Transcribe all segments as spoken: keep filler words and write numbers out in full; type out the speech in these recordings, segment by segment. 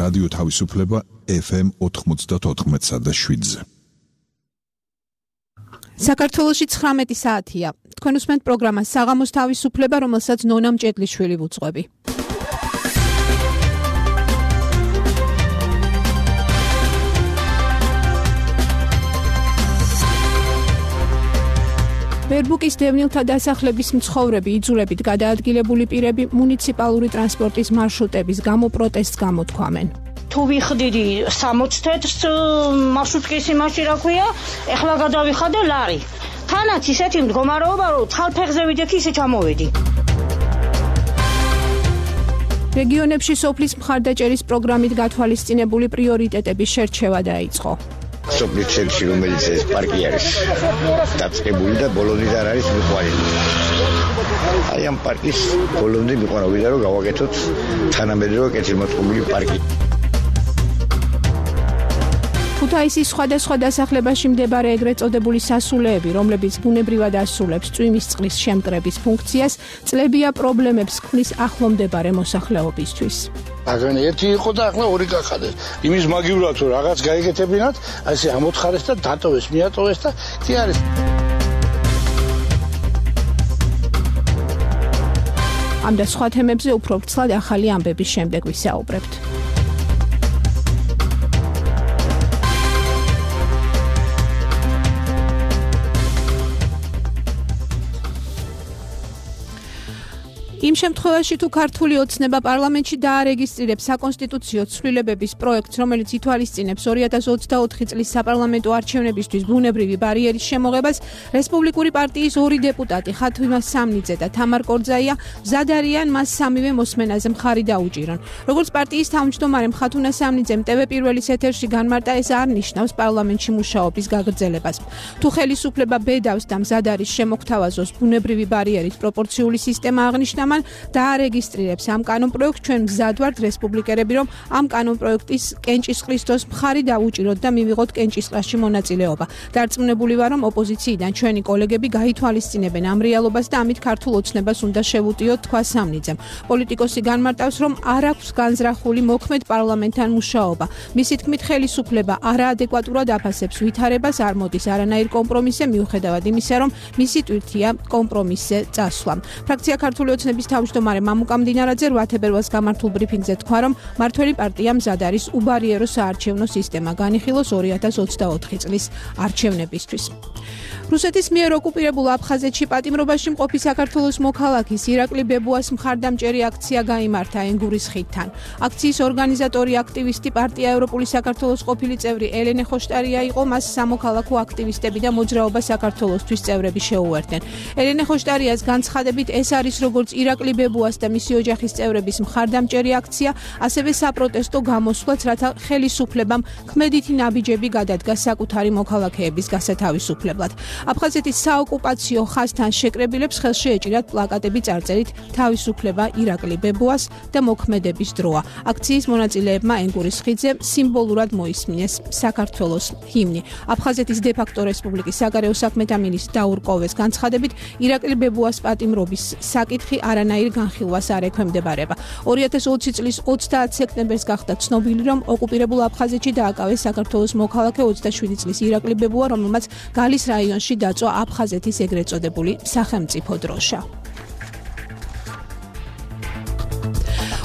რადიო თავისუფლება ეფ ემ ოთხმოცდაოთხ და შვიდზე. საქართველოში ცხრამეტი საათია. თქვენ უსმენთ პროგრამას საღამოს თავისუფლება, რომელსაც ნონა მჭედლიშვილი ვუძღვები. ვერბუკის დევნილთა დასახლების მცხოვრები, იძულებით გადაადგილებული პირები მუნიციპალური ტრანსპორტის მარშრუტების გამო პროტესტს გამოთქვამენ. თუ ვიხდიდი სამოცდ თეთრს მარშრუტკის იმაში რა ქვია, ეხლა გადავიხადე ლარი. თანაც ისეთი მდგომარეობა, რომ ცხალფეხზე ვიდექი ისე ჩამოვედი. რეგიონებში სოფლის მხარდაჭერის პროგრამით გათვალისწინებული პრიორიტეტების შერჩევა დაიწყო. სოფლის ცენტრში, რომელიც ეს პარკი არის დაწყებული და ბოლომდე არ არის მიყვანილი. აი ამ პარკის ბოლომდე მიყვანილია, რომ გავაკეთოთ თანამედროვე კეთილმოწყობილი პარკი. ქუთაისის სხვადასხვა დასახლებაში მდებარე ეგრეთ წოდებული სასულეები, რომლებიც ბუნებრივად ასრულებს წვიმის წყლის შემკრების ფუნქციას, წლებია პრობლემებს ქმნის ახლომდებარე მოსახლეობისთვის. აგრენ ერთი იყო და ახლა ორი გახადეს. იმის მაგივრად რომ რაღაც გაიგეთებინათ, ასე ამოთხარეს და დატოვეს, მიატოვეს და კი არის. ამ და სხვა თემებზე უფრო ვრცლად ახალი ამბების შემდეგ ვისაუბრებთ. იმ შემთხვევაში თუ ქართული ოცნება პარლამენტში დაარეგისტრირებს საკონსტიტუციო ცვლილებების პროექტს, რომელიც ითვალისწინებს ორი ათას ოცდაოთხი წლის საპარლამენტო არჩევნებისთვის ბუნებრივი ბარიერის შემოღებას, რესპუბლიკური პარტიის ორი დეპუტატი, ხათუნა სამნიძე და თამარ კორძაია, მზად არიან მას სამივე მოსმენაზე მხარი დაუჭირონ. როგორც პარტიის თავმჯდომარე ხათუნა სამნიძემ ტევ პირველის ეთერში განმარტა, ეს არ ნიშნავს პარლამენტში მუშაობის გაგრძელებას. თუ ხელისუფლება ბედავს და მზად არის შემოგთავაზოს ბუნებრივი ბარიერის პროპორციული სისტემა აღნიშნა, დაარეგისტრირებს ამ კანონპროექტს, ჩვენ მზად ვართ რესპუბლიკელები, რომ ამ კანონპროექტის კენჭისყრის დროს მხარი დაუჭიროთ და მივიღოთ კენჭისყრაში მონაწილეობა. დარწმუნებული ვარ, რომ ოპოზიციიდან ჩვენი კოლეგები გაითვალისწინებენ ამ რეალობას და ამით ქართულ ოცნებას უნდა შევუტიოთ, თქვა სამნიძემ. პოლიტიკოსი განმარტავს, რომ არ აქვს განზრახული მოქმედ პარლამენტთან მუშაობა. მისი თქმით, ხელისუფლება არაადეკვატურად აფასებს ვითარებას, არ მოდის არანაირ კომპრომისზე, მიუხედავად იმისა, რომ მისი ტვირთია კომპრომისზე წასვლა. ფრაქცია ქართული ოცნების თავმჯდომარე მამუკა მდინარაძე რვა თებერვალს გამართულ ბრიფინგზე თქვა, რომ მართველი პარტია მზად არის უბარიერო საარჩევნო სისტემა განიხილოს ორი ათას ოცდაოთხი წლის არჩევნებისთვის. რუსეთის მიერ ოკუპირებულ აფხაზეთში პატიმრობაში მყოფი საქართველოს მოქალაქის ირაკლი ბებუას მხარდამჭერი აქცია გაიმართა ენგურის ხიდთან. აქციის ორგანიზატორი აქტივისტი პარტია ევროპული საქართველოს ყოფილი წევრი ელენე ხოშტარია იყო, მას სამოქალაქო აქტივისტები და მოძრაობა საქართველოსთვის წევრები შეუერთდნენ. ელენე ხოშტარიას განცხადებით, ეს არის როგორც ირაკლი ბებუას და მისი ოჯახის წევრების მხარდამჭერი აქცია, ასევე საპროტესტო გამოსვლაც, რათა ხელისუფლებამ ქმედითი ნაბიჯები გადადგა საკუთარი მოქალაქეების გასათავისუფლებლად. აფხაზეთის საოკუპაციო ხაზთან შეკრებილებს ხელში ეჭირათ პლაკატები წარწერით თავისუფლება ირაკლი ბებუას და მოქმედების დროა. აქციის მონაწილეებმა ენგურის ხიდზე სიმბოლურად მოისმინეს საქართველოს ჰიმნი. აფხაზეთის დე-ფაქტო რესპუბლიკის საგარეო საქმეთა მინისტრ დაურ კოვეს განცხადებით, ირაკლი ბებუას პატიმრობის საკითხი არანაირ განხილვას არ ექვემდებარება. ორი ათას ოცი წლის ოცდაათ სექტემბერს გახდა ცნობილი, რომ ოკუპირებულ აფხაზეთში დააკავეს საქართველოს მოქალაქე ოცდაშვიდი წლის ირაკლი ბებუა, რომელმაც გალის რაიონში დაწვა აფხაზეთის ეგრეთ წოდებული სახელმწიფო დროშა.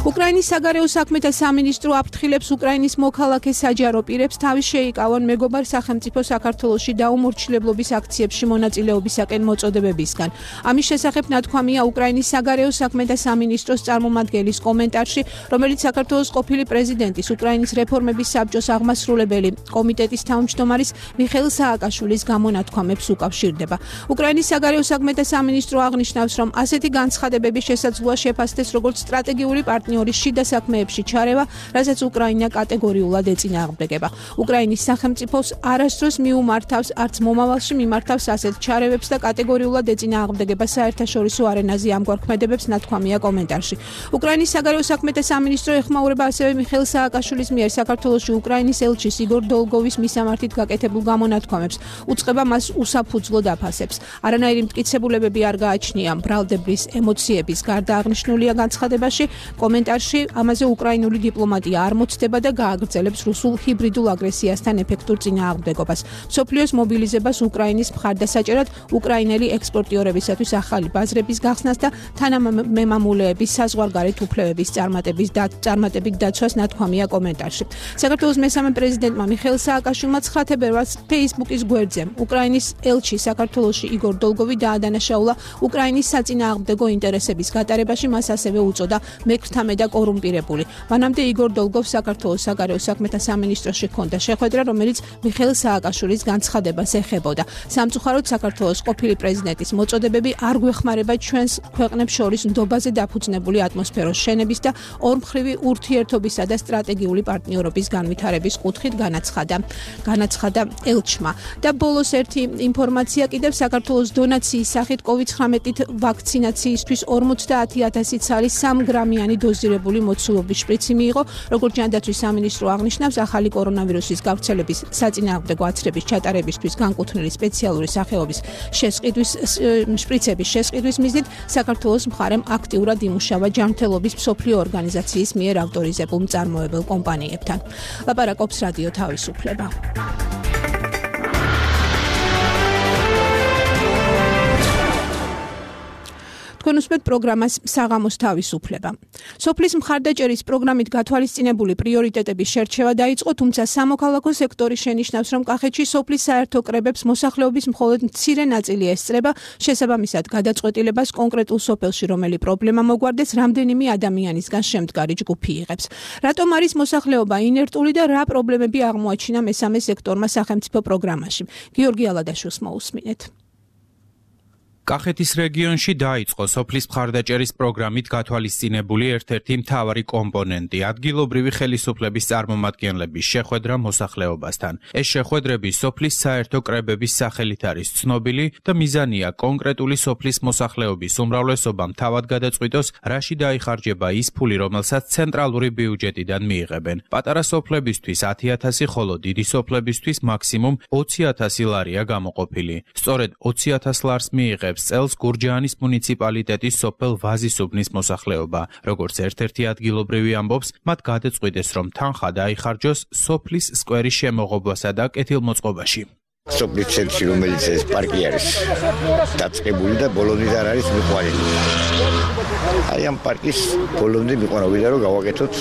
უკრაინის საგარეო საქმეთა სამინისტრო აფრთხილებს უკრაინის მოქალაქე საჯარო პირებს თავის შეიკავონ მეგობარ სახელმწიფო საქართველოში დაუმორჩილებლობის აქციებში მონაწილეობისაკენ მოწოდებებისგან. ამის შესახებ ნათქვამია უკრაინის საგარეო საქმეთა სამინისტროს წარმომადგენლის კომენტარში, რომელიც საქართველოს ყოფილი პრეზიდენტის უკრაინის რეფორმების საბჭოს აღმასრულებელი კომიტეტის თავმჯდომარის მიხეილ სააკაშვილის გამონათქვამებს უკავშირდება. უკრაინის საგარეო საქმეთა სამინისტრო აღნიშნავს, რომ ასეთი განცხადებების შესაძლოა შეფასდეს როგორც სტრატეგიული პარტნიორის შიდა საქმეებში ჩარევა, რასაც უკრაინა კატეგორიულად ეწინააღმდეგება. უკრაინის სახელმწიფოს არასდროს მიუმართავს, არც მომავალში მიმართავს ასეთ ჩარევებს და კატეგორიულად ეწინააღმდეგება საერთაშორისო არენაზე ამგვარ ქმედებებს, ნათქვამია კომენტარში. უკრაინის საგარეო საქმეთა სამინისტრო ეხმაურება ასევე მიხეილ სააკაშვილის მიერ საქართველოში უკრაინის ელჩის იგორ დოლგოვის მისამართით გაკეთებულ გამონათქვამებს, უწყება მას უსაფუძვლოდ აფასებს. არანაირი მტკიცებულებები არ გააჩნია მბრალდებლის ემოციების გარდა აღნიშნულია განცხადებაში. კომენტარში კომენტარში ამაზე უკრაინული დიპლომატია არ მოცდება და გააგრძელებს რუსულ ჰიბრიდულ აგრესიასთან ეფექტურ წინააღმდეგობას. მსოფლიოს მობილიზებას უკრაინის მხარდასაჭერად უკრაინელი ექსპორტიორებისათვის ახალი ბაზრების გახსნას და თანამემამულეების საზღვარგარეთ უფლებების წარმატების და წარმატებით დაცვას ნათქვამია კომენტარში. საქართველოს მესამე პრეზიდენტმა მიხეილ სააკაშვილმა ცხრა თებერვალს Facebook-ის გვერდზე უკრაინის ელჩი საქართველოში იგორ დოლგოვი დაადანაშაულა უკრაინის საწინააღმდეგო ინტერესების გატარებაში, მას ასევე უწოდა მექრთამე და კორუმპირებული. მანამდე იგორ დოლგოვს საქართველოს საგარეო საქმეთა სამინისტროში ჰქონდა შეხვედრა, რომელიც მიხეილ სააკაშვილის განცხადებას ეხებოდა. სამწუხაროდ საქართველოს ყოფილი პრეზიდენტის მოწოდებები არ გვეხმარება ჩვენს ქვეყნებს შორის ნდობაზე დაფუძნებული ატმოსფეროს შენების და ორმხრივი ურთიერთობისა და სტრატეგიული პარტნიორობის განვითარების კუთხით განაცხადა. განაცხადა ელჩმა. და ბოლოს ერთი ინფორმაცია კიდევ საქართველოს დონაციის სახით კოვიდ ცხრამეტით ვაქცინაციისთვის ორმოცდაათი ათასი ცალის სამ გრამიანი დოზირებული მოცულობის შპრიცი მიიღო, როგორც ჯანდაცვის სამინისტრო აღნიშნავს, ახალი კორონავირუსის გავრცელების საწინააღმდეგო აცრების ჩატარებისთვის განკუთვნილი სპეციალური სახეობის შესყიდვის შპრიცების შესყიდვის მიზნით საქართველოს მხარემ აქტიურად იმუშავა ჯანმრთელობის მსოფლიო ორგანიზაციის მიერ ავტორიზებულ მწარმოებელ კომპანიებთან. ლაპარაკობს რადიო თავისუფლება. თქვენ უსმენთ პროგრამას საღამოს თავისუფლება. სოფლის მხარდაჭერის პროგრამით გათვალისწინებული პრიორიტეტების შერჩევა დაიწყო, თუმცა სამოქალაქო სექტორი შენიშნავს, რომ კახეთში სოფლის საერთო კრებებს მოსახლეობის მხოლოდ მცირე ნაწილი ესწრება, შესაბამისად გადაწყვეტილებას კონკრეტულ სოფელში რომელი პრობლემა მოგვარდეს, რამდენიმე ადამიანისგან შემდგარი ჯგუფი იღებს. რატომ არის მოსახლეობა ინერტული და რა პრობლემები აღმოაჩინა მესამე სექტორმა სახელმწიფო პროგრამაში? გიორგი ალადაშვილს მოусმინეთ. კახეთის რეგიონში დაიწყო სოფლის მხარდაჭერის პროგრამით გათვალისწინებული ერთ-ერთი მთავარი კომპონენტი ადგილობრივი ხელისუფლების წარმომადგენლების შეხვედრა მოსახლეობასთან. ეს შეხვედრები სოფლის საერთო კრებების სახელით არის ცნობილი და მიზანია კონკრეტული სოფლის მოსახლეობის უმრავლესობამ თავად გადაწყვიტოს, რაში დაიხარჯება ის ფული, რომელსაც ცენტრალური ბიუჯეტიდან მიიღებენ. პატარა სოფლებისთვის ათი ათასი, ხოლო დიდი სოფლებისთვის მაქსიმუმ ოცი ათასი ლარია გამოყოფილი. სწორედ ოცი ათას ლარს მიიღებს წელს გურჯაანის მუნიციპალიტეტის სოფელ ვაზისუბნის მოსახლეობა. როგორც ერთ-ერთი ადგილობრივი ამბობს, მათ გადაწყვიტეს, რომ თანხა დაიხარჯოს სოფლის სკვერის შემოღობასა და კეთილმოწყობაში. სოფლის ცენტრში, რომელიც ეს პარკი არის დაწყებული და ბოლომდე არ არის მიყვანილი. აი ამ პარკის ბოლომდე მიყვანილია, რომ გავაკეთოთ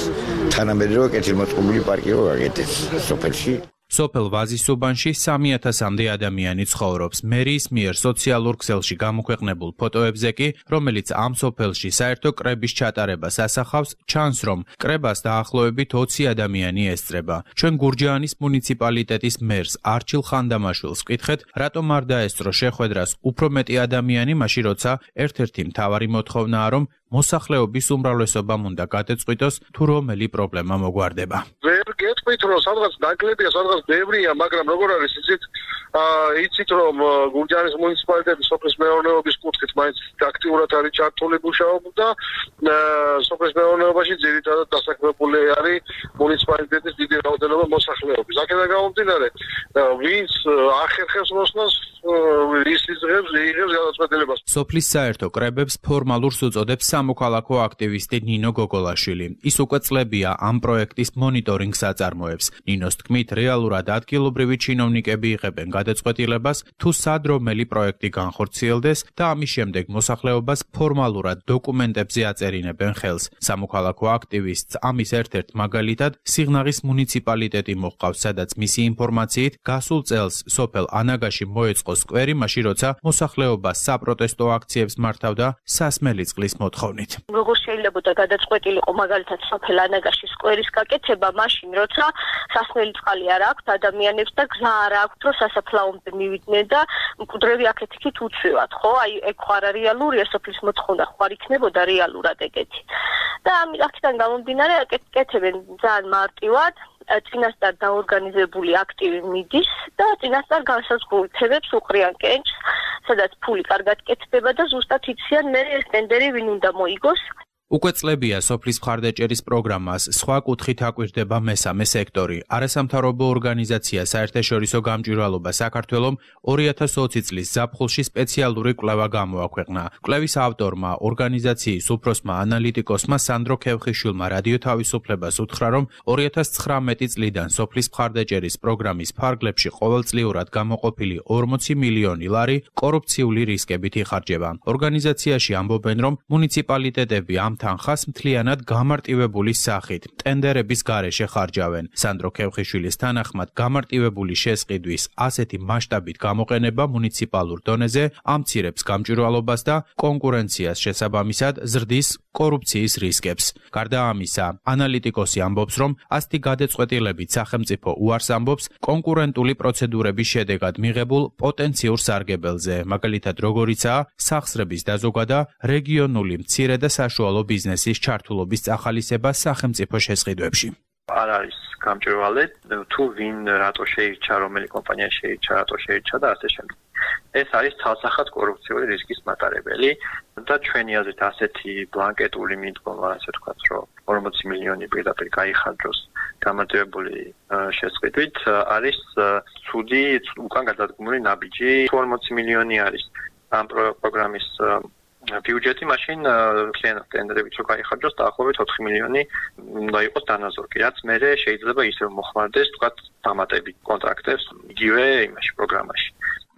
თანამედროვე კეთილმოწყობილი პარკი რო გაკეთდეს სოფელში. სოფელ ვაზისუბანში სამი ათასამდე ადამიანი ცხოვრობს. მერიის მიერ სოციალურ ქსელში გამოქვეყნებულ ფოტოებზე კი, რომელიც ამ სოფელში საერთო კრების ჩატარებას ასახავს, ჩანს, რომ კრებას დაახლოებით ოცი ადამიანი ესწრება. ჩვენ გურჯაანის მუნიციპალიტეტის მერს არჩილ ხანდამაშვილს ვკითხეთ, რატომ არ დაესწრო შეხვედრას უფრო მეტი ადამიანი, მაშინ როცა ერთ-ერთი მთავარი მოთხოვნაა, რომ მოსახლეობის უმრავლესობამ უნდა გადაწყვიტოს, თუ რომელი პრობლემა მოგვარდება. ვერ გეტყვით, რომ სადღაც ნაკლებია, სადღაც ბევრია, მაგრამ როგორ არის იცით, იცით რომ გურჯაანის მუნიციპალიტეტის სოფლის მეურნეობის კუთხით მაინც აქტიურად არის ჩართული მუშაობა და სოფლის მეურნეობაში ძირითადად დასაქმებული არის მუნიციპალიტეტის დიდი რაოდენობა მოსახლეობის. აქედან გამომდინარე, ვინც ახერხებს მოსვლას, ის იღებს იღებს გადაწყვეტილებას. სოფლის საერთო კრებებს ფორმალურს უწოდებს სამოქალაქო აქტივისტი ნინო გოგოლაშვილი. ის უკვე წლებია ამ პროექტის მონიტორინგს აწარმოებს. ნინოს თქმით, რეალურად ადგილობრივი ჩინოვნიკები იღებენ გადაწყვეტილებას, თუ სად რომელი პროექტი განხორციელდეს და ამის შემდეგ მოსახლეობას ფორმალურად დოკუმენტებზე აწერინებენ ხელს. სამოქალაქო აქტივისტს ამის ერთ-ერთ მაგალითად სიღნაღის მუნიციპალიტეტი მოჰყავს, სადაც მისი ინფორმაციით გასულ წელს სოფელ ანაგაში მოეწყო სკვერი, მაშინ როცა მოსახლეობა საპროტესტო აქციებს მართავდა სასმელი წყლის მოთხოვნით. როგორ შეიძლება გადაწყვეტილიყო მაგალითად სოფელ ანაგაში სკვერის გაკეთება, მაშინ როცა სასმელი წყალი არ აქვს ადამიანებს და გზა არ აქვს, რომ სასაფლაომდე მივიდნენ და მკვდრები აქეთ-იქით უცვივად, ხო? აი ეგ ხო არა რეალურია, სოფლის მოთხოვნა ხო არ იქნებოდა რეალურად ეგეთი. და აქედან გამომდინარე აკეთებენ ძალიან მარტივად, წინასწარ დაორგანიზებული აქტივი მიდის და წინასწარ განსაზღვრავებს უყრიან კენჭს, სადაც ფული კარგად კეთდება და ზუსტად იციან მე ეს ტენდერი ვინ უნდა მოიგოს. უკვე წლებია სოფლის მხარდაჭერის პროგრამას სხვა კუთხით აკვირდება მესამე სექტორი. არასამთავრობო ორგანიზაცია საერთაშორისო გამჭვირვალობა საქართველომ ორი ათას ოცი წლის ზაფხულში სპეციალური კვლევა გამოაქვეყნა. კვლევის ავტორმა, ორგანიზაციის უფროსმა ანალიტიკოსმა სანდრო ქევხიშვილმა რადიო თავისუფლებას უთხრა, რომ ორი ათას ცხრამეტი წლიდან სოფლის მხარდაჭერის პროგრამის ფარგლებში ყოველწლიურად გამოყოფილი ორმოცი მილიონი ლარი კორუფციული რისკებით იხარჯება. ორგანიზაციაში ამბობენ, რომ მუნიციპალიტეტები ამ თანხას მთლიანად გამარტივებული სახით ტენდერების გარეშე ხარჯავენ. სანდრო ქევხიშვილის თანახმად გამარტივებული შესყიდვის ასეთი მასშტაბით გამოყენება მუნიციპალურ დონეზე ამცირებს გამჭვირვალობას და კონკურენციას, შესაბამისად ზრდის კორუფციის რისკებს. გარდა ამისა, ანალიტიკოსი ამბობს, რომ ასეთი გადაწყვეტილებით სახელმწიფო უარს ამბობს კონკურენტული პროცედურების შედეგად მიღებულ პოტენციურ სარგებელზე, მაგალითად როგორიცაა სახსრების დაზოგვა და რეგიონული მცირე და საშუალო ბიზნესის ჩართულობის წახალისება სახელმწიფო შესყიდვებში. არ არის გამჭვირვალე თუ ვინ რატო შეირჩა, რომელი კომპანია შეირჩა, რატო შეირჩა და ასე შემდეგ. ეს არის ცალსახად კორუფციული რისკის მატარებელი და ჩვენი აზრით ასეთი ბლანკეტული მიდგომა, ასე ვთქვათ, რომ ორმოცი მილიონი პირდაპირ გაიხარჯოს გამარტივებული შესყიდვით არის ცუდი, უკან გადადგმული ნაბიჯი. თუ ორმოცი მილიონი არის ამ პროგრამის ბიუჯეტი, მაშინ მთლიანად ტენდერებით რო გაიხარჯოს დაახლოებით ოთხი მილიონი უნდა იყოს დანაზორგი, რაც მერე შეიძლება ისევ მოხმარდეს, ვთქვათ, დამატებით კონტრაქტებს იგივე იმაში პროგრამაში.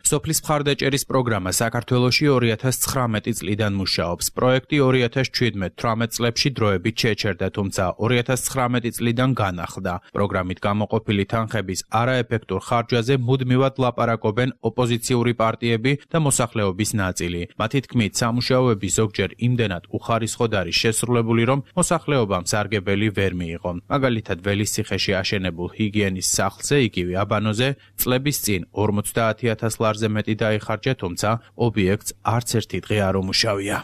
სოფლის მხარდაჭერის პროგრამა საქართველოში ორი ათას ცხრამეტი წლიდან მუშაობს. პროექტი ორი ათას შვიდმეტ თვრამეტ წლებში დროებით შეჩერდა, თუმცა ორი ათას ცხრამეტი წლიდან განახლდა. პროგრამით გამოყოფილი თანხების არაეფექტურ ხარჯვაზე მუდმივად ლაპარაკობენ ოპოზიციური პარტიები და მოსახლეობის ნაწილი. მათი თქმით, სამუშაოები ზოგჯერ იმდენად უხარისხოდ არის შესრულებული, რომ მოსახლეობამ სარგებელი ვერ მიიღო. მაგალითად, ველისციხეში აშენებულ ჰიგიენის სახლზე, იგივე აბანოზე, წლების წინ ორმოცდაათი ათას ლარზე მეტი დაიხარჯა, თუმცა ობიექტს არც ერთი დღე არ უმუშავია.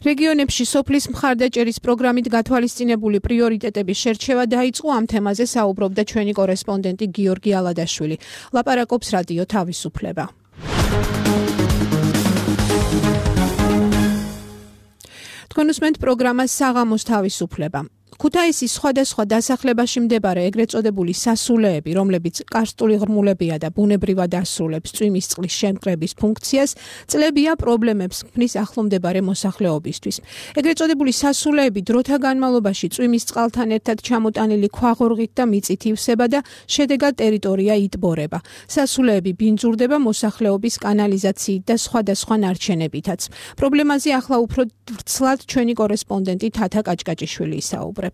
რეგიონებში სოფლის მხარდაჭერის პროგრამით გათვალისწინებული პრიორიტეტების შერჩევა დაიწყო, ამ თემაზე საუბრობდა ჩვენი კორესპონდენტი გიორგი ალადაშვილი. ლაპარაკობს რადიო თავისუფლება. თქვენ უსმენთ პროგრამას საღამოს თავისუფლება. ქუთაისის სხვადასხვა დასახლებაში მდებარე ეგრეთ წოდებული სასულეები, რომლებიც კარსტული ღრმულებია და ბუნებრივად ასრულებს წვიმის წყლის შემკრების ფუნქციას, წლებია პრობლემებს ქმნის ახლომდებარე მოსახლეობისთვის. ეგრეთ წოდებული სასულეები დროთა განმავლობაში წვიმის წყალთან ერთად ჩამოტანილი ქვაღორღით და მიწით ივსება და შედეგად ტერიტორია იტბორება. სასულეები ბინძურდება მოსახლეობის კანალიზაციით და სხვადასხვა ნარჩენებითაც. პრობლემაზე ახლა უფრო ვრცლად ჩვენი კორესპონდენტი თათა კაჭკაჭიშვილი ისაუბრებს.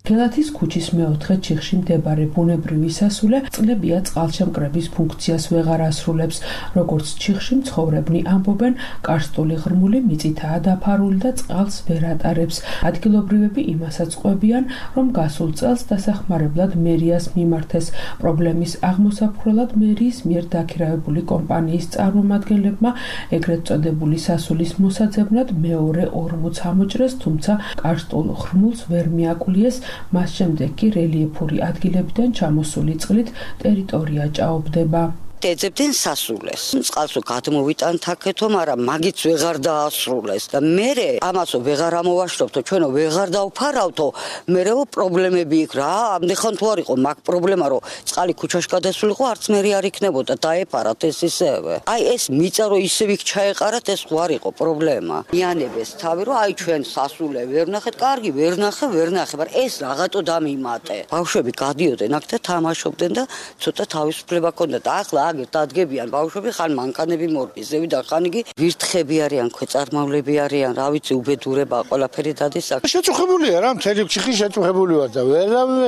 გელათის ქუჩის მეოთხე ჩიხში მდებარე ბუნებრივი სასულე წყლებია წყალშემკრების ფუნქციას ვეღარ ასრულებს. როგორც ჩიხში მცხოვრებნი ამბობენ, კარსტული ღრმული მიწითაა დაფარული და წყალს ვერ ატარებს. ადგილობრივები იმასაც ყვებიან, რომ გასულ წელს დასახმარებლად მერიას მიმართეს. პრობლემის აღმოსაფხვრელად მერიის მიერ დაქირავებული კომპანიის წარმომადგენლებმა ეგრეთ წოდებული სასულის მოსაძებნად მეორე ორმოც ამოჭრეს, თუმცა კარსტულ ღრმულს ვერ მიაკულიეს. მას შემდეგ კი რელიეფური ადგილებიდან ჩამოსული წყლით ტერიტორია ჭაობდება. ეძებდნენ სასულეს. წყალსო გადმოვიტანთ აქეთო, მაგრამ მაგიც ვეღარ დაასრულეს და მერე ამასო ვეღარ ამოვაშრობთო, ჩვენო ვეღარ დავფარავთო, მერეო პრობლემები იქ რა, ამდენ თუ არ იყო მაგ პრობლემა, რომ წყალი ქუჩაში გადასულიყო, არც მერი არ იქნებოდა, დაეპარათ ეს ისევე. აი ეს მიწა რო ისევ იქ ჩაეყარათ, ეს ხო არ იყო პრობლემა. მიანებეს თავი, რომ აი ჩვენ სასულე ვერ ნახეთ, კარგი ვერ ნახე, ვერ ნახე, მაგრამ ეს რაღაცო დამიმატე. ბავშვები გადიოდნენ აქ და თამაშობდნენ და ცოტა თავისუფლება ჰქონდათ. ახლა აგერ დადგებიან ბავშვები, ხან მანქანები მორბის, ზევიდან ხან იგი ვირთხები არიან, ქვეწარმავლები არიან, რა ვიცი, უბედურება, ყველაფერი დადის აქ. შეწუხებულია რა, მთელი ციხე შეწუხებული ვარ და ვერავე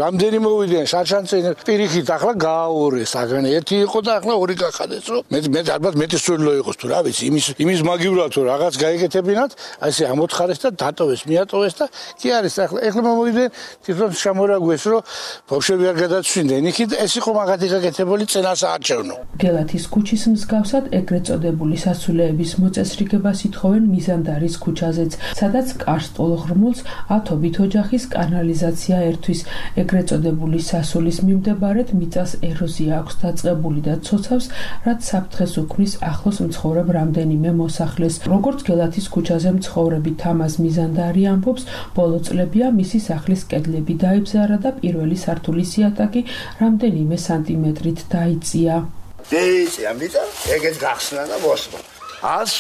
რამდენი მოვიდიან შარშანწინ პირიქით, ახლა გააორეს, აგან ერთი იყო და ახლა ორი გახადეს, რომ მე მე ალბათ მეტი სულო იყოს თუ რა ვიცი, იმის იმის მაგივრად თუ რაღაც გაიგეთებინათ, აი ესე ამოთხარეს და დატოვეს, მიატოვეს და კი არის ახლა ახლა მოვიდნენ თვითონ შემორაგვეს, რომ ბავშვები არ გადაცვიდნენ იქით, ეს იყო მაგათი გაკეთებული წინასააღ არჩევნო. გელათის ქუჩის მსგავსად ეგრეთ წოდებული სასულეების მოწესრიგებას ითხოვენ მიზანდარის ქუჩაზეც, სადაც კარსტულ ღრმულს ათობით ოჯახის კანალიზაცია ერთვის. ეგრეთ წოდებული სასულის მიმდებარედ მიწას ეროზია აქვს დაწყებული და ცოცავს, რაც საფრთხეს უქმნის ახლოს მცხოვრებ რამდენიმე მოსახლეს. როგორც გელათის ქუჩაზე მცხოვრები თამაზ მიზანდარი ამბობს, ბოლო წლებია მისი სახლის კედლები დაიბზარა და პირველი სართულის იატაკი რამდენიმე სანტიმეტრით დაიწია. დეიცი ამიტა ეგეც გახსნა და მოსვა. ას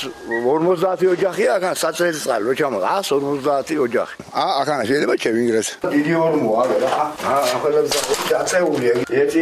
ორმოცდაათი ოჯახია, აქან საწელიწადო რო ჩამო, ას ორმოცდაათი ოჯახი. ა აქან შეიძლება შევინგრეს. დიდი ორმოა რა. ა ახალებს დაწეულია. ერთი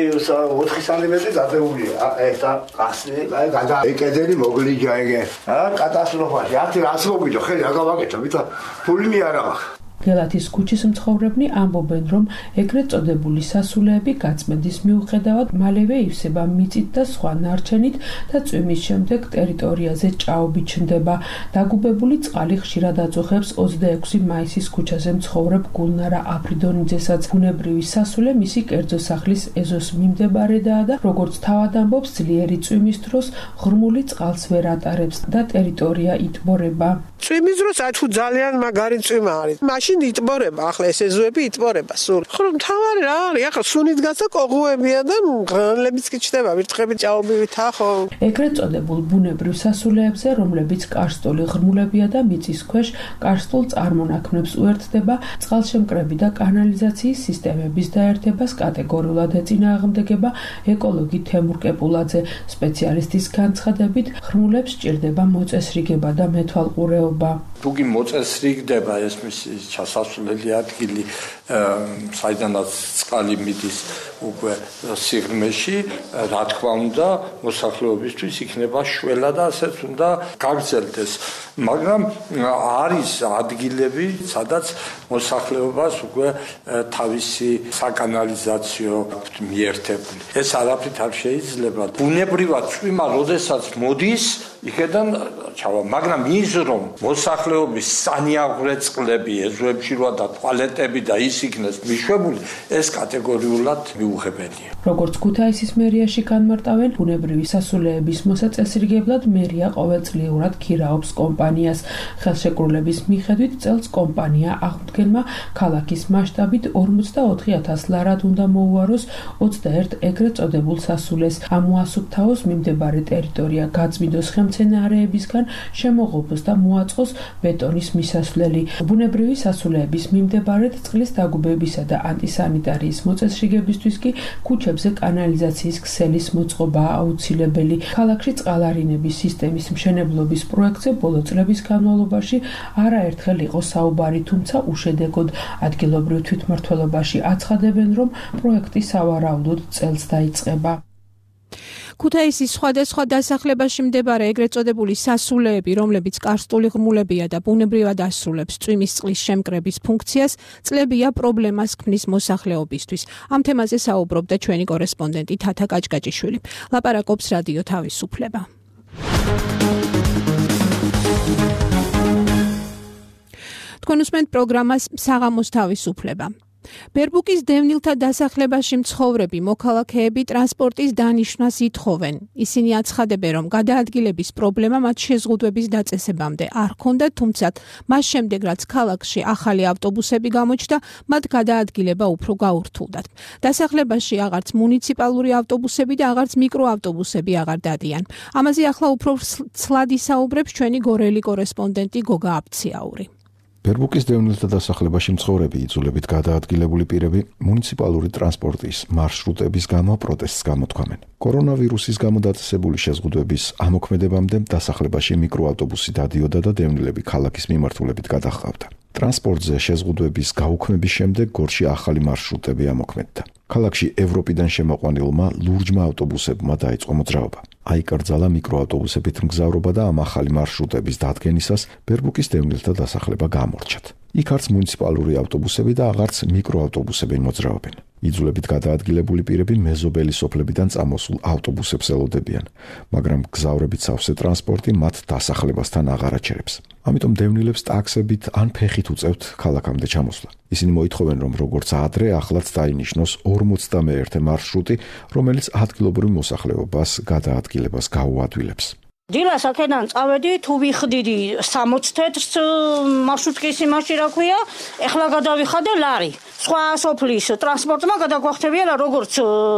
ოთხი სანტიმეტრი დაწეულია. ა ესა გახსნი, აი გადა. ეკედელი მოგლიჯა ეგე. ა კატასტროფაში. ათი რას მოგიჯო, ხელი რა გავაკეთო, ვითა ფული მე არა მაქვს. გელათის ქუჩის მცხოვრებნი ამბობენ, რომ ეგრეთ წოდებული სასულეები გაწმენდის მიუხედავად მალევე ივსება მიწით და სხვა ნარჩენით და წვიმის შემდეგ ტერიტორიაზე ჭაობი ჩნდება. დაგუბებული წყალი ხშირად აწუხებს ოცდაექვსი მაისის ქუჩაზე მცხოვრებ გულნარა აფრიდონიძესაც. ბუნებრივი სასულე მისი კერძო სახლის ეზოს მიმდებარედაა და როგორც თავად ამბობს, ძლიერი წვიმის დროს ღრმული წყალს ვერ ატარებს და ტერიტორია იტბორება. წვიმის დროს აი თუ ძალიან მაგარი წვიმა არის. მაშინ იტბორება, ახლა ეს ეზოები იტბორება სულ. ხომ თავარი რა არის? ახლა სუნით გაცა კოღუებია და მღრღნელებიც კი ჩდება, ვირთხები ჭაობივითა ხო? ეგრეთ წოდებულ ბუნებრივ სასულეებზე, რომლებიც კარსტული ღრმულებია და მიწის ქვეშ კარსტულ წარმონაქმნებს უერთდება, წყალშემკრები და კანალიზაციის სისტემების დაერთებას კატეგორიულად ეწინააღმდეგება ეკოლოგი თემურ კეპულაძე. სპეციალისტის განცხადებით, ღრმულებს სჭირდება მოწესრიგება და მეთვალყურეობა. თუგი მოწესრიგდება ეს მისი ჩასასვლელი ადგილი, საიდანაც წყალი მიდის უკვე სიღრმეში, რა თქმა უნდა, მოსახლეობისთვის იქნება შველა და ასეც უნდა გაგრძელდეს. მაგრამ არის ადგილები, სადაც მოსახლეობას უკვე თავისი საკანალიზაციო მიერთებული. ეს არაფრით არ შეიძლება. ბუნებრივად წვიმა, როდესაც მოდის, იქიდან ჩავა, მაგრამ ის რომ მოსახლეობის სანიაღვრე წყლები ეზოებში როა და ტუალეტები და ის იქნეს მიშვებული, ეს კატეგორიულად მიუღებელია. როგორც ქუთაისის მერიაში განმარტავენ, ბუნებრივი სასულეების მოსაწესრიგებლად მერია ყოველწლიურად ქირაობს კომპანიას. ხელშეკრულების მიხედვით წელს კომპანია აღმდგენმა ქალაქის მასშტაბით ორმოცდაოთხი ათას ლარად უნდა მოუაროს ოცდაერთ ეგრეთ წოდებულ სასულეს. ამ უასუფთავოს მიმდებარე ტერიტორია გაწმიდოს მცენარეებისგან შემოღობოს და მოაწყოს ბეტონის მისასვლელი. ბუნებრივი სასულეების მიმდებარედ წყლის დაგუბებისა და ანტისანიტარიის მოწესრიგებისთვის კი ქუჩებზე კანალიზაციის ქსელის მოწყობაა აუცილებელი. ქალაქში წყალარინების სისტემის მშენებლობის პროექტზე ბოლო წლების განმავლობაში არაერთხელ იყო საუბარი, თუმცა უშედეგოდ. ადგილობრივ თვითმმართველობაში აცხადებენ, რომ პროექტი სავარაუდოდ წელს დაიწყება. ქუთაისის სხვადასხვა დასახლებაში მდებარე ეგრეთ წოდებული სასულეები, რომლებიც კარსტული ღრმულებია და ბუნებრივად ასრულებს წვიმის წყლის შემკრების ფუნქციას, წლებია პრობლემას ქმნის მოსახლეობისთვის. ამ თემაზე საუბრობდა ჩვენი კორესპონდენტი თათა კაჭკაჭიშვილი. ლაპარაკობს რადიო თავისუფლება. თქვენ უსმენთ პროგრამას საღამოს თავისუფლება. ბერბუკის დევნილთა დასახლებაში მცხოვრები მოქალაქეები ტრანსპორტის დანიშვნას ითხოვენ. ისინი აცხადებენ, რომ გადაადგილების პრობლემა მათ შეზღუდვების დაწესებამდე არ ჰქონდათ, თუმცა მას შემდეგ, რაც ქალაქში ახალი ავტობუსები გამოჩნდა, მათ გადაადგილება უფრო გაურთულდათ. დასახლებაში აღარც მუნიციპალური ავტობუსები და აღარც მიკროავტობუსები აღარ დადიან. ამაზე ახლა უფრო ცლად ისაუბრებს ჩვენი გორელი კორესპონდენტი გოგა აფციაური. ბერბუკის დევნილთა დასახლებაში მცხოვრები იძულებით გადაადგილებული პირები მუნიციპალური ტრანსპორტის მარშრუტების გამო პროტესტს გამოთქვამენ. კორონავირუსის გამო დაწესებული შეზღუდვების ამოქმედებამდე დასახლებაში მიკროავტობუსი დადიოდა და დევნილები ქალაქის მიმართულებით გადაჰყავდა. ტრანსპორტზე შეზღუდვების გაუქმების შემდეგ გორში ახალი მარშრუტები ამოქმედდა. ქალაქში ევროპიდან შემოყვანილმა ლურჯმა ავტობუსებმა დაიწყო მოძრაობა. აიკრძალა მიკროავტობუსებით მგზავრობა და ამ ახალი მარშრუტების დადგენისას ბერბუკის დევნილთა დასახლება გამორჩათ. იქ არც მუნიციპალური ავტობუსები და აღარც მიკროავტობუსები მოძრაობენ. იძულებით გადაადგილებული პირები მეზობელი სოფლებიდან წამოსულ ავტობუსებს ელოდებიან, მაგრამ გზავრებით სავსე ტრანსპორტი მათ დასახლებასთან აღარ აჩერებს. ამიტომ დევნილებს ტაქსებით ან ფეხით უწევთ ქალაქამდე ჩამოსვლა. ისინი მოითხოვენ, რომ როგორც ადრე ახლაც დაინიშნოს ორმოცდამეერთე მარშრუტი, რომელიც ადგილობრივ მოსახლეობას გადაადგილებას გაუადვილებს. დილას აქედან წავედი, თუ ვიხდიდი სამოცი თეთრს მარშრუტკის იმაში რა ქვია, ეხლა გადავიხადე ლარი. სხვა სოფლის ტრანსპორტმა გადაგვახტებია როგორც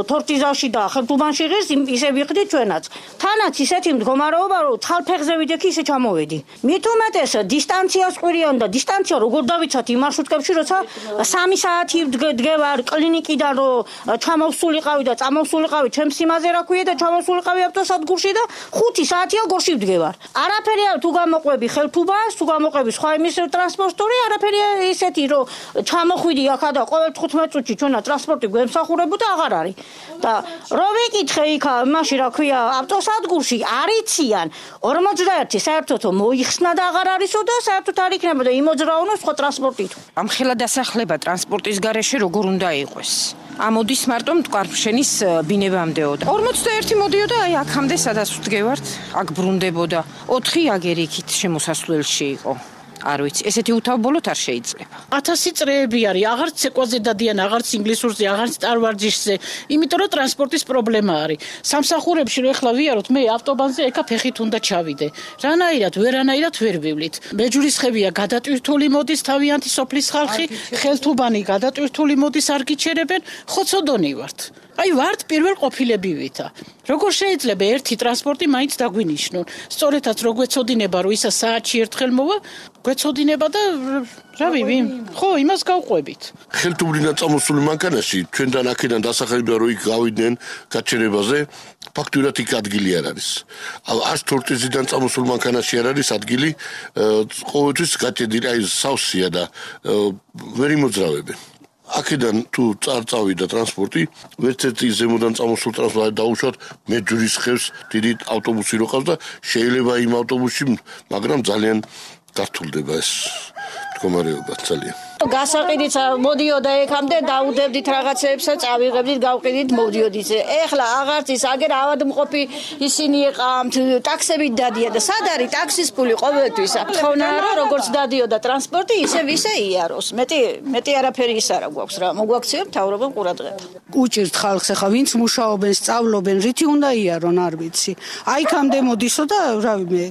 თორტიზაში და ხელთუბანში ღირს ისე ვიხდით ჩვენაც. თანაც ისეთი მდგომარეობა, რომ ცხალფეხზე ვიდექი ისე ჩამოვედი. მით უმეტეს დისტანციას ყვირიან და დისტანცია როგორ დავიცათ იმ მარშრუტკებში, როცა სამი საათი დგევარ კლინიკიდან რომ ჩამოვსულიყავი და წამოვსულიყავი ჩემს იმაზე რა ქვია და ჩამოვსულიყავი ავტოსადგურში და ხუთი საათია გორში ვდგევარ. არაფერია თუ გამოყვები ხელთუბანს, თუ გამოყვები სხვა იმის ტრანსპორტორი, არაფერია ისეთი რომ ჩამოხვიდი აქ და ყოველ თხუთმეტ წუთში ჩვენა ტრანსპორტი გვემსახურებოდა აღარ არის. და რო ვიკითხე იქ მაშინ რა ქვია ავტოსადგურში არიციან ორმოცდაერთი საერთოდ მოიხსნა და აღარ არისო და საერთოდ არ იქნებოდა იმოძრაონო სხვა ტრანსპორტით. ამ ხელა დასახლება ტრანსპორტის გარეშე როგორ უნდა იყოს? ამოდის მარტო მტკვარშენის ბინებამდეო და ორმოცდაერთი მოდიოდა აი აქამდე სადაც ვდგევართ, აქ ბრუნდებოდა. ოთხი აგერ იქით შემოსასვლელში იყო. არ ვიცი, ესეთი უთავბოლოდ არ შეიძლება. ათასი წრეები არის, აღარც ცეკვაზე დადიან, აღარც ინგლისურზე, აღარც ტარვარჯიშზე, იმიტომ რომ ტრანსპორტის პრობლემა არის. სამსახურებში რო ეხლა ვიაროთ, მე ავტობანზე ეკა ფეხით უნდა ჩავიდე. რანაირად, ვერანაირად ვერ ვივლით. მეჯურისხევია გადატვირთული მოდის თავიანთი სოფლის ხალხი, ხელთუბანი გადატვირთული მოდის არ გიჩერებენ, ხოცოდონი ვართ. აი ვართ პირველ ყოფილებივითა. როგორ შეიძლება ერთი ტრანსპორტი მაინც დაგვინიშნონ? სწორედაც რო გვეცოდინება, რომ ისა საათში ერთხელ მოვა, გვეცოდინება და რა ვიცი, ხო, იმას გავყვებით. ხელთუბრიდან წამოსული მანქანაში ჩვენთან აქედან დასახელდა რომ იქ გავიდნენ გაჩერებაზე, ფაქტურად იქ ადგილი არ არის. არც თორტიზიდან წამოსულ მანქანაში არ არის ადგილი, ყოველთვის გაჭედილი აი სავსეა და ვერ იმოძრავებენ. აქედან თუ წარწავიდა ტრანსპორტი, ვერცერთი ზემოდან წამოსულ ტრანსპორტს დაუშვათ მეჯურისხევს დიდი ავტობუსი რო ყავს და შეიძლება იმ ავტობუსში, მაგრამ ძალიან გართულდება ეს მდგომარეობა ძალიან. გასაყიდით მოდიოდა ეკამდე დაუდებდით რაღაცეებსა წავიღებდით გავყიდით მოდიოდით. ეხლა აღარც ის აგერ ავადმყოფი ისინი ეყამთ ტაქსებით დადიან და სად არის ტაქსის ფული ყოველთვის? თხოვნა რომ როგორც დადიოდა ტრანსპორტი ისე ვისე იაროს. მეტი მეტი არაფერი ის არა გვაქვს რა. მოგვაქციო მთავრობამ ყურადღება. უჭირთ ხალხს ახლა ვინც მუშაობენ, სწავლობენ, რითი უნდა იარონ არ ვიცი. აიქამდე მოდისო და რავი მე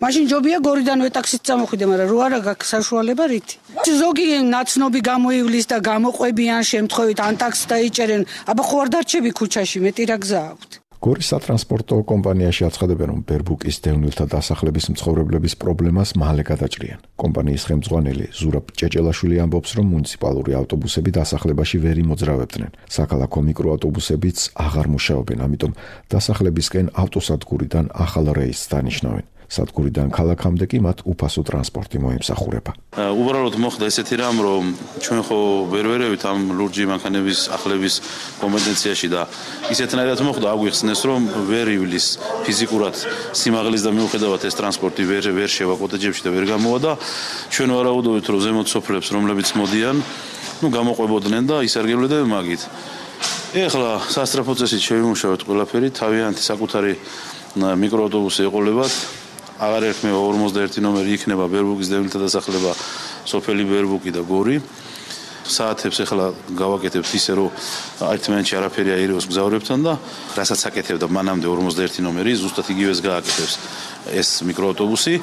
მაშინ ჯობია გორიდანვე ტაქსით წამოხვიდე, მაგრამ რო არა გაქვს საშუალება რითი. ზოგი ნაცნობი გამოივლის და გამოყვებიან შემთხვევით ან ტაქსს დაიჭერენ, აბა ხო არ დარჩები ქუჩაში, მეტი რა გზა აქვთ. გორის სატრანსპორტო კომპანიაში აცხადებენ, რომ ბერბუკის დევნილთა დასახლების მცხოვრებლების პრობლემას მალე გადაჭრიან. კომპანიის ხელმძღვანელი ზურაბ ჭეჭელაშვილი ამბობს, რომ მუნიციპალური ავტობუსები დასახლებაში ვერ იმოძრავებდნენ. საქალაქო მიკროავტობუსებიც აღარ მუშაობენ, ამიტომ დასახლებისკენ ავტოსადგურიდან ახალ რეისს დანიშნავენ. სადგურიდან ქალაქამდე კი მათ უფასო ტრანსპორტი მოემსახურება. უბრალოდ მოხდა ესეთი რამ, რომ ჩვენ ხო ვერ ვერევით ამ ლურჯი მანქანების ახლების კომპეტენციაში და ისეთნაირად მოხდა, აგვიხსნეს, რომ ვერ ივლის ფიზიკურად სიმაღლის და მიუხედავად ეს ტრანსპორტი ვერ ვერ შევა კოტეჯებში და ვერ გამოვა და ჩვენ ვარაუდობთ, რომ ზემოთ სოფლებს, რომლებიც მოდიან, ნუ გამოყვებოდნენ და ისარგებლებდნენ მაგით. ეხლა სასწრაფო წესით შევიმუშავეთ ყველაფერი, თავიანთი საკუთარი მიკროავტობუსი ეყოლებათ. აღარ ერქმევა ორმოცდაერთი ნომერი, იქნება ბერბუკის დევნილთა დასახლება, სოფელი ბერბუკი და გორი. საათებს ეხლა გავაკეთებთ ისე, რომ ერთმანეთში არაფერი აირევოს გზავრებთან და რასაც აკეთებდა მანამდე ორმოცდაერთი ნომერი, ზუსტად იგივეს გააკეთებს ეს მიკროავტობუსი.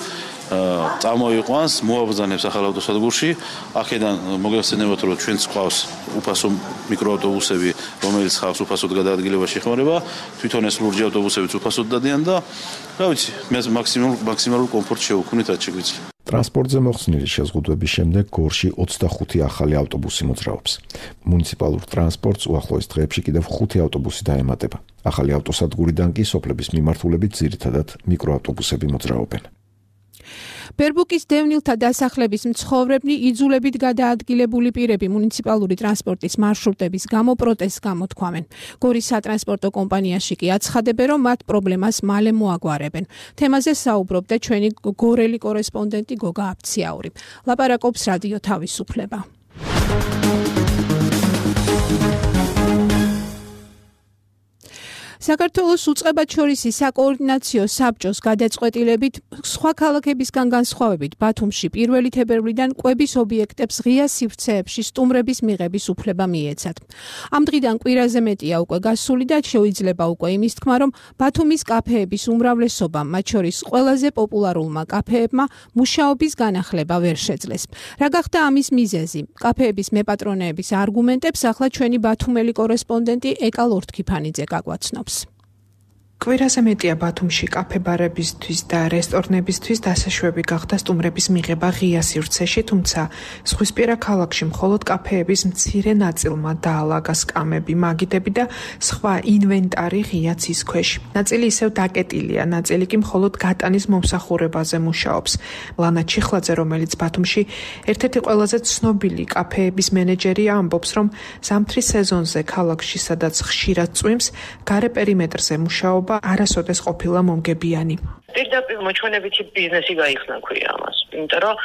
წამოიყვანს, მოაბრძანებს ახალ ავტოსადგურში. აქედან მოგეხსენებათ, რომ ჩვენც ყავს უფასო მიკროავტობუსები, რომელიც ხავს უფასოდ გადაადგილებაში ეხმარება. თვითონ ეს ლურჯი ავტობუსებიც უფასოდ დადიან და რა ვიცი, მე მაქსიმალურ მაქსიმალურ კომფორტს შევუქმნით რაც შეგვიძლია. ტრანსპორტზე მოხსნილი შეზღუდვების შემდეგ გორში ოცდახუთი ახალი ავტობუსი მოძრაობს. მუნიციპალურ ტრანსპორტს უახლოეს დღეებში კიდევ ხუთი ავტობუსი დაემატება. ახალი ავტოსადგურიდან კი სოფლების მიმართულებით ძირითადად მიკროავტობუსები მოძრაობენ. ბერბუკის დევნილთა დასახლების მცხოვრებნი იძულებით გადაადგილებული პირები მუნიციპალური ტრანსპორტის მარშრუტების გამო პროტესტს გამოთქვამენ. გორის სატრანსპორტო კომპანიაში კი აცხადებენ, რომ მათ პრობლემას მალე მოაგვარებენ. თემაზე საუბრობდა ჩვენი გორელი კორესპონდენტი გოგა აფციაური. ლაპარაკობს რადიო თავისუფლება. საქართველოს უწყებაჩორისი საკოორდინაციო საბჭოს გადაწყვეტილებით სხვა ქალაქებისგან განსხვავებით ბათუმში პირველი თებერვლიდან კვების ობიექტებს ღია სივრცეებში სტუმრების მიღების უფლება მიეცათ. ამ დღიდან კვირაზე მეტია უკვე გასული და შეიძლება უკვე იმის თქმა, რომ ბათუმის კაფეების უმრავლესობამ, მათ შორის ყველაზე პოპულარულმა კაფეებმა მუშაობის განახლება ვერ შეძლეს. რა გახდა ამის მიზეზი? კაფეების მეპატრონეების არგუმენტებს ახლა ჩვენი ბათუმელი კორესპონდენტი ეკა ლორთქიფანიძე გაგვაცნობს. კვირაზე მეტია ბათუმში კაფე-ბარებისთვის და რესტორნებისთვის დასაშვები გახდა სტუმრების მიღება ღია სივრცეში, თუმცა ზღვისპირა ქალაქში მხოლოდ კაფეების მცირე ნაწილმა დაალაგა სკამები, მაგიდები და სხვა ინვენტარი ღია ცის ქვეშ. ნაწილი ისევ დაკეტილია, ნაწილი კი მხოლოდ გატანის მომსახურებაზე მუშაობს. ლანა ჩიხლაძე, რომელიც ბათუმში ერთ-ერთი ყველაზე ცნობილი კაფეების მენეჯერია, ამბობს, რომ ზამთრის სეზონზე ქალაქში, სადაც ხშირად წვიმს, გარე პერიმეტრზე მუშაობა არასოდეს ყოფილა მომგებიანი. პირდაპირ მოჩვენებითი ბიზნესი გაიხსნა ქვია ამას. იმიტომ რომ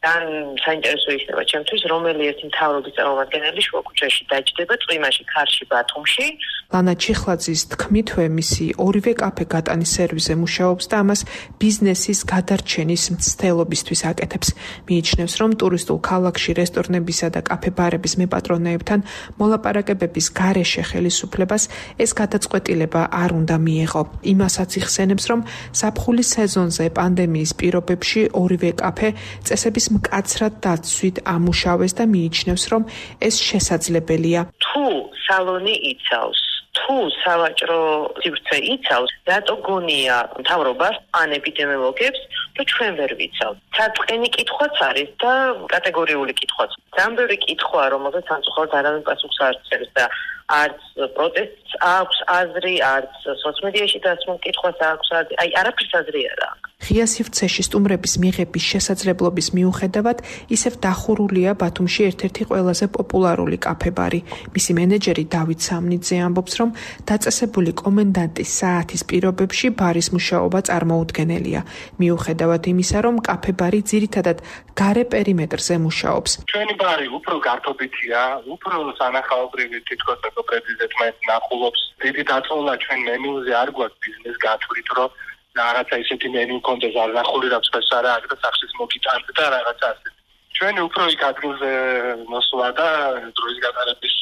თან საინტერესო იქნება ჩემთვის, რომელი ერთი მთავრობის წარმომადგენელი შუაქუჩაში დაჯდება წვიმაში ქარში ბათუმში. ლანა ჩიხლაძის თქმითვე მისი ორივე კაფე გატანის სერვისზე მუშაობს და ამას ბიზნესის გადარჩენის მცდელობისთვის აკეთებს. მიიჩნევს, რომ ტურისტულ ქალაქში რესტორნებისა და კაფე-ბარების მეპატრონეებთან მოლაპარაკებების გარეშე ხელისუფლებას ეს გადაწყვეტილება არ უნდა მიეღო. იმასაც იხსენებს, რომ ზაფხულის სეზონზე პანდემიის პირობებში ორივე კაფე წესების მკაცრად დაცვით ამუშავეს და მიიჩნევს, რომ ეს შესაძლებელია. თუ სალონი იცავს, თუ სავაჭრო სივრცე იცავს, რატო გონია მთავრობას ან ეპიდემიოლოგებს, რომ ჩვენ ვერ ვიცავთ. საწყენი კითხვაც არის და კატეგორიული კითხვაც. ძალიან ბევრი კითხვა, რომელზეც სამწუხაროდ არავინ პასუხს არ წერს და არც პროტესტს აქვს აზრი, არც სოციალმედიაში დასმულ კითხვას აქვს აზრი. აი, არაფერს აზრი არ აქვს. ღია სივრცეში სტუმრების მიღების შესაძლებლობის მიუხედავად, ისევ დახურულია ბათუმში ერთ-ერთი ყველაზე პოპულარული კაფე-ბარი. მისი მენეჯერი დავით სამნიძე ამბობს, რომ დაწესებული კომენდანტის საათის პირობებში ბარის მუშაობა წარმოუდგენელია. მიუხედავად იმისა, რომ კაფე-ბარი ძირითადად გარე პერიმეტრზე მუშაობს. ჩვენი ბარი უფრო გართობითია, უფრო სანახაობრივი თითქოს მეგობრების ერთმანეთს ნახულობს. დიდი დაწოლა ჩვენ მენიუზე არ გვაქვს ბიზნეს გათვლით, რომ რაღაცა ისეთი მენიუ კონდეს არ ნახული რაც ფესარა აქ და სახლის მოგიტანთ და რაღაცა ასე. ჩვენი უფრო იქ ადგილზე მოსვლა და დროის გატარების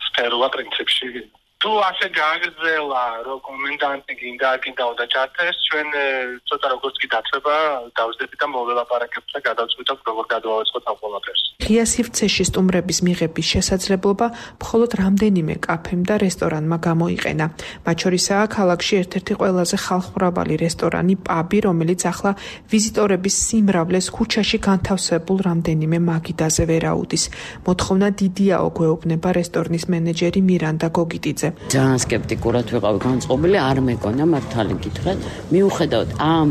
სფეროა პრინციპში. თუ ასე გააგრძელა, რომ კომენდანტი გინდა გინდა და ჩართეს, ჩვენ ცოტა როგორც კი დაწება, დავსდები და მოველაპარაკებთ და გადავწყვიტოთ როგორ გადავაწყოთ ამ ყველაფერს. ღია სივრცეში სტუმრების მიღების შესაძლებლობა მხოლოდ რამდენიმე კაფემ და რესტორანმა გამოიყენა. მათ შორისაა ქალაქში ერთ-ერთი ყველაზე ხალხმრავალი რესტორანი პაბი, რომელიც ახლა ვიზიტორების სიმრავლეს ქუჩაში განთავსებულ რამდენიმე მაგიდაზე ვერ აუდის. მოთხოვნა დიდიაო გვეუბნება რესტორნის მენეჯერი მირანდა გოგიტიძე. ძალიან სკეპტიკურად ვიყავი განწყობილი, არ მეკონა მართალი გითხრათ. მიუხედავად ამ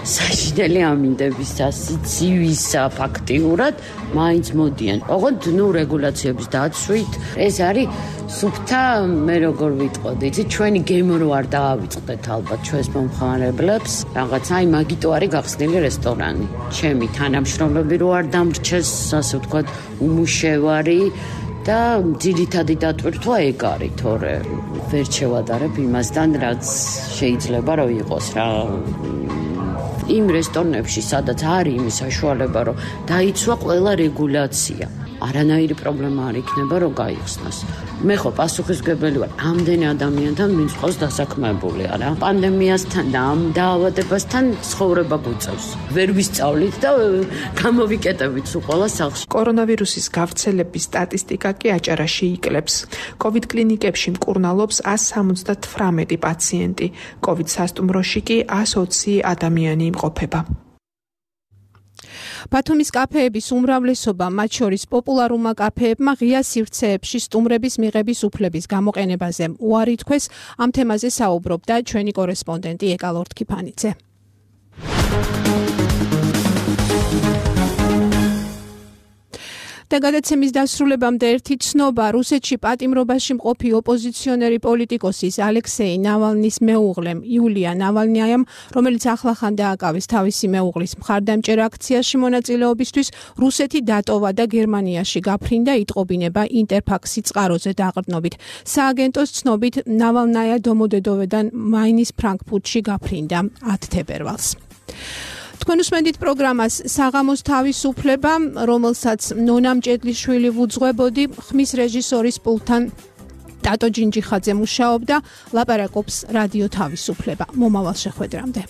საშინელი ამინდებისა, სიცივისა ფაქტიურად მაინც მოდიან. ოღონდ ნუ რეგულაციების დაცვით ეს არის სუფთა, მე როგორ ვიტყოდი, იცი ჩვენი გემო რო არ დაავიწყდეთ ალბათ ჩვენს მომხმარებლებს. რაღაც აი მაგიტო არის გახსნილი რესტორანი. ჩემი თანამშრომლები რო არ დამრჩეს, ასე ვთქვათ, უმუშევარი და ძირითადი დატვირთვა ეგ არის, თორე ვერ შევადარებ იმასთან, რაც შეიძლება რომ იყოს რა. იმ რესტორნებში, სადაც არის იმის საშუალება, რომ დაიცვა ყველა რეგულაცია. არანაირი პრობლემა არ იქნება, რომ გაიხსნას. მე ხო პასუხისმგებელი ვარ ამდენი ადამიანთან, ვინც ყავს დასაქმებული არა. პანდემიასთან და ამ დაავადებასთან ცხოვრება გვიწევს. ვერ ვისწავლით და გამოვიკეტებით სულ ყველა სახლში. კორონავირუსის გავრცელების სტატისტიკა კი აჭარაში იკლებს. კოვიდ კლინიკებში მკურნალობს ათს სამოცდათვრამეტი პაციენტი. კოვიდ სასტუმროში კი ათს ოცი ადამიანი იმყოფება. ბათუმის კაფეების უმრავლესობა, მათ შორის პოპულარულმა კაფეებმა ღია სივრცეებში სტუმრების მიღების უფლების გამოყენებაზე უარი თქვეს. ამ თემაზე საუბრობდა ჩვენი კორესპონდენტი ეკა ლორთქიფანიძე. და გადაცემის დასრულებამდე ერთი ცნობა რუსეთში პატიმრობაში მყოფი ოპოზიციონერი პოლიტიკოსის ალექსეი ნავალნის მეუღლემ იულია ნავალნიაამ, რომელიც ახლახან დააკავეს თავისი მეუღლის მხარდამჭერ აქციაში მონაწილეობისთვის, რუსეთი დატოვა და გერმანიაში გაფრინდა, იტყობინება ინტერფაქსი წყაროზე დაყრდნობით. სააგენტოს ცნობით ნავალნაია დომოდედოვედან მაინის ფრანკფურტში გაფრინდა ათი თებერვალს. თქვენ უსმენთ პროგრამას საღამოს თავისუფლება, რომელსაც ნონა მჭედლიშვილი ვუძღვებოდი, ხმის რეჟისორის პულტთან ტატო ჯინჯიხაძე მუშაობდა, ლაპარაკობს რადიო თავისუფლება. მომავალ შეხვედრამდე.